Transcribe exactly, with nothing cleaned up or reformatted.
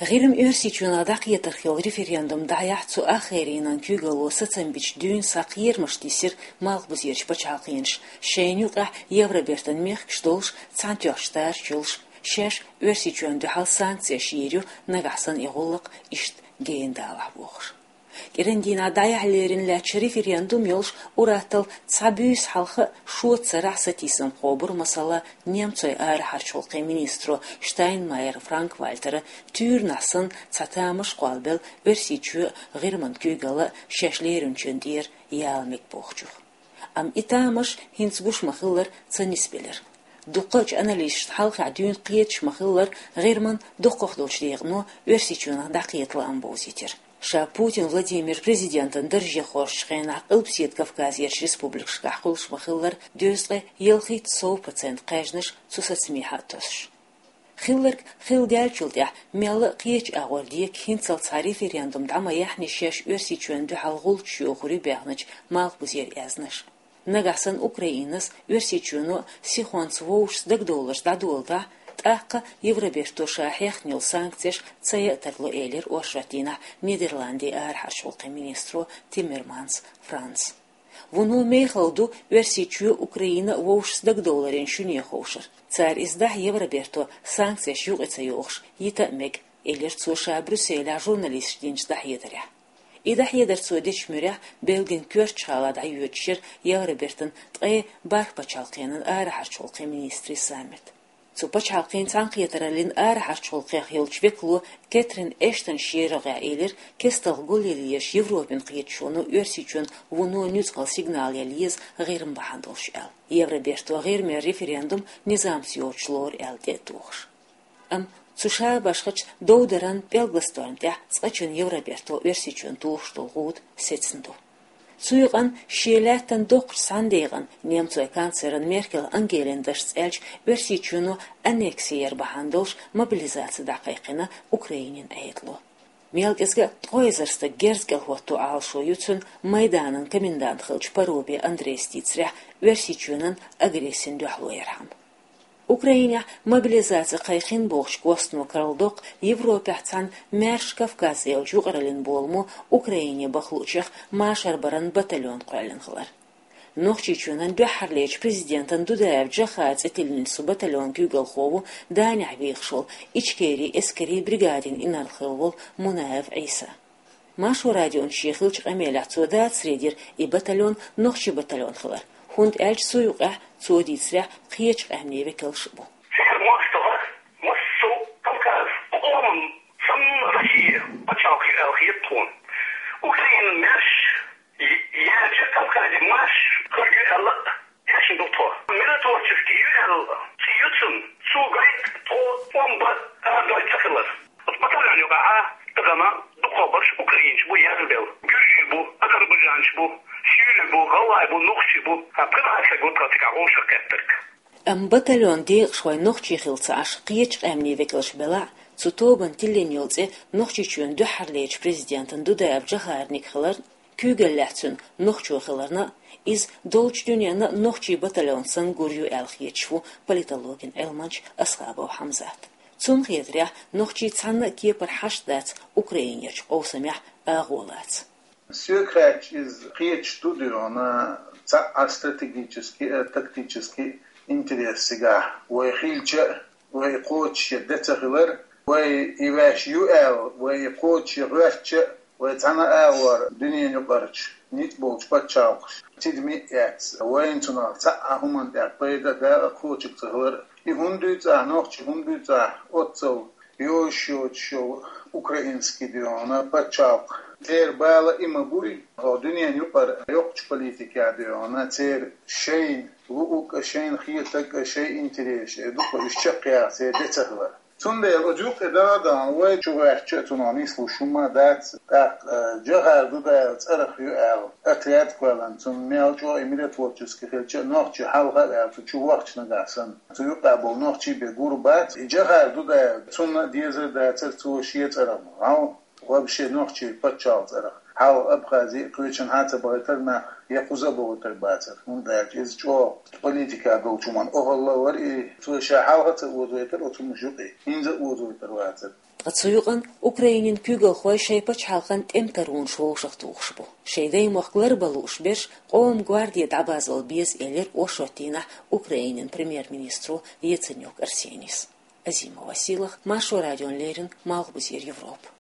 ГӀирма Оьрсийчоьнах дӀакхетарх йолу референдум дӀаяхьа цу ахгӀайренан куьйгалло сацам бича дуьйна схьа кхерамаш тийсира малхбузерчу пачхьалкханаша, шайна юкъахь Евробертан мехкаш долуш, цхьаьнатоьхначу тарачу йолуш, шаьш Оьрсийчоьнна дуьхьал санкцеш йийр ю, нагахь санна и гӀуллакх иштта гена далахь бохуш. КӀиран дийнахь дӀаяхьа лерина лаьттачу референдум йолуш, ур-атталла цхьа буьйса хьалха а, шоца сарахь а сатийсам кхобура, масала, немцойн арахьарчу гӀуллакхийн министро Штайнмайер Франк-Вальтера туьйранахь санна цхьа тамаш кхоллабелла Оьрсийчоь а, ГӀирман куьйгалла а шаьш леринчун тӀера яла мега бохучух. Амма и тамаш хӀинца гуш ма-хиллара ца нисбелира. Дуккхачу аналисташна хьалххе дуьйна кхеташ ма-хиллара, ГӀирман дуккхах долчу декъано Оьрсийчоьнах дӀакхета лаам бовзийтира. Ша Путин Владимир президентан дарже хоржучу хенахь Къилбаседа Кавказерчу республикашкахь хуьлуш ма-хиллара, дезткъе ялхитта сов процент кхаьжнаш цу сацамехьа а тосуш. Хилларг хилла даьллачул тӀаьхьа мелла а кхечу агӀор дека хӀинццалц цхьа референдум дӀа ма яьхьний шаьш Оьрсийчоьнна дуьхьал гӀулчаш йохур ю баьхначу малхбузера аьзнаш. Нагахь санна Украинас, Оьрсийчоьно а сихонца вовшашца дагадовларш дӀадоладахь, тӀаккха Евроберто ша хьехна йолу санкцеш ца яа тарло, элира оршот дийнахь Нидерландийн арахьарчу гӀуллакхийн министро Тиммерманс Франца. Вуно мехала ду Оьрсийчоь а, Украина а вовшашца дагадовларийн шуьне ховшар. Цара иза дахь Евроберто санкцеш юкъа ца йохуш йита а мега, элира цо ша Брюсселехь журналисташна динчу дӀахьедарехь. И дӀахьедар цо дечу муьрехь Бельгин коьртачу гӀалахь дӀайоьдуш яра Евробертан ткъе бархӀ пачхьалкхенан арахьарчу гӀуллакхийн министрийн саммит. Цу пачхьалкхийн цхьаьнакхетараллин арахьарчу гӀуллакхех йолчу векало Кэтрин Эштон шен рогӀехь элира, кестта гулъеллачу Европин кхеташоно Оьрсийчоьнна вуно нуьцкъала сигнал яла еза ГӀирма бахьана долуш аьлла. Евроберто ГӀирмера референдум низамца йоцуш лору аьлла тӀе а тухуш. Амма цу шабашхачу довдаран пӀелгалан тӀехь цкъачунна Евроберто Оьрсийчоьнна тухуш долу гӀуда сецна ду. Цу юкъанна шен лаьттан доккхачу цхьана декъана немцойн канцлеран Меркель Ангелин дашца аьлча, Оьрсийчоьно аннекси яр бахьана долуш мобилизаци дӀакхайкхина Украинин Ӏедало. Мел кӀезга ткъе эзар стаг герз кӀел хӀотто Ӏалашо ю цуьнан Майданан комендант хиллачу Парубий Андрейс дийцарехь, Оьрсийчоьнан агрессина дуьхьало ярхьама. Украинехь мобилизаци кхайкхина бохучу костано карладоккху Европехь цхьана «Маьрша Кавказ» олучу юкъараллин боламо Украине баха луучех машар баран батальон кхоьллина хилар. Нохчийчоьнан дуьххьарлечу президентан Дудаев Джохара цӀе тиллина цу батальонан куьйгалхо ву Данехь вехаш волу Ичкерин эскарийн бригадин инарла хилла волу Мунаев Ӏийса. Маршо радиона шен хиллачу къамелехь цо дацаре дира и батальон нохчийн батальон хилар, хӀунда аьлча цу юкъехь, цо дийцарехь, кхечу къаьмнийн векалш а бу. Церан мостагӀа массо а Кавказ къоман санна Россия пачхьалкх ю аьлла хета тхуна. Украинан маьрша, е-, яьржа Кавказан маьрша хир ю аьлла а тешна ду тхо. Миротворческий ю аьлла цӀе ю цуьнан, цо гойту тхо тӀом бан арадойла ца хилар. Оцу батальон юкъахь тахана дукхахберш украинцаш бу язбелла. Гуьржий бу, азербайджанцаш бу, шуьйрий бу, гӀалгӀай бу, нохчий бу. Ткъа цхьа саг ву тхан цигахь вовшахкхеттарг. Амма батальонан декъашхой нохчий хилла ца Ӏаш, кхечу къаьмнийн векалш белахь а, цу тобанна тиллина йолу цӀе Нохчийчоьнан дуьххьарлечу президентан Дудаев Джохарниг хиларна, куьйгаллехь цуьнан нохчо хиларна а, иза долчу дуьненна а нохчийн батальон санна гур ю аьлла хеташ ву политологин Ӏилманча Асхабов Хьамзат. Цунна хетарехь, нохчийн цхьанна а кепара хьашт дац Украинерчу къовсамехь агӀо лаца. Соьга хаьттича, иза кхеташ ду, дуьйна цхьа а стратегический а, тактический а интерес цигахь вай хилча а, вай кхочушъян де ца хилар, вай и ваьш ю аьлла, вай и кхочушъян гӀоьртича а, вай цхьана а агӀор дуьненан юкъарчу ницкъ болчу пачхьалкхаша тидаме а эцна, вайна цунах цхьа а хӀуманна тӀехь пайда а, дакъа а кхочург ца хилар. И хӀунда дуьйцу ахь, нохчий хӀунда дуьйцу ахь, оццул йозуш йоцуш йолу украинский, дуьйна, пачхьалкх? Церан бала и ма буй, хӀокху дуьненан юкъара йоккхачу политикехь, дуьйна, церан шайна луург а, шайна хетарг а, шайн интересаш а дукха уьш чекхъяха церан де ца хилар. Цундела оцу юккъе даха а дахана, вай чу гӀоьртича а цунах нислуш хӀума дац, тӀаккха, э, Джохар Дудаев цӀарах ю аьлла отряд кхоьллина, цунна мел чӀогӀа и миротворческий хилча а, нохчий хьалха а ваьлла, цу чу вахча нагахь санна, цу юкъахь болу нохчий бен гур бац. И Джохар Дудаев, цунна а дезар дацара цо шен цӀарах гӀов Вообще нохчий паччахьалкхе цӀерах хьалха Абхазе а, кхечанхьа а ца бахийтар нах, я кхуза а бохийтар бацар. ХӀунда аьлча иза чӀоагӀа политика долчу хӀуманна охӀла вара и, цо ша хьалха а ца озойтар оцу хӀуманаш юкъе, хӀинца а озойтар вацар. Ткъа цу юкъана Украинин куьйгалхой шайн пачхьалкхан тӀематарвонаш вовшахтухуш бу. Шайн даймохк ларбан лууш берш къоман гварде дӀабазбала беза, элира оршотан дийнахь Украинин премьер-министро Яценюк Арсенис. Азимова Силах, Маршо радиона леррина, Малхбузера Европа.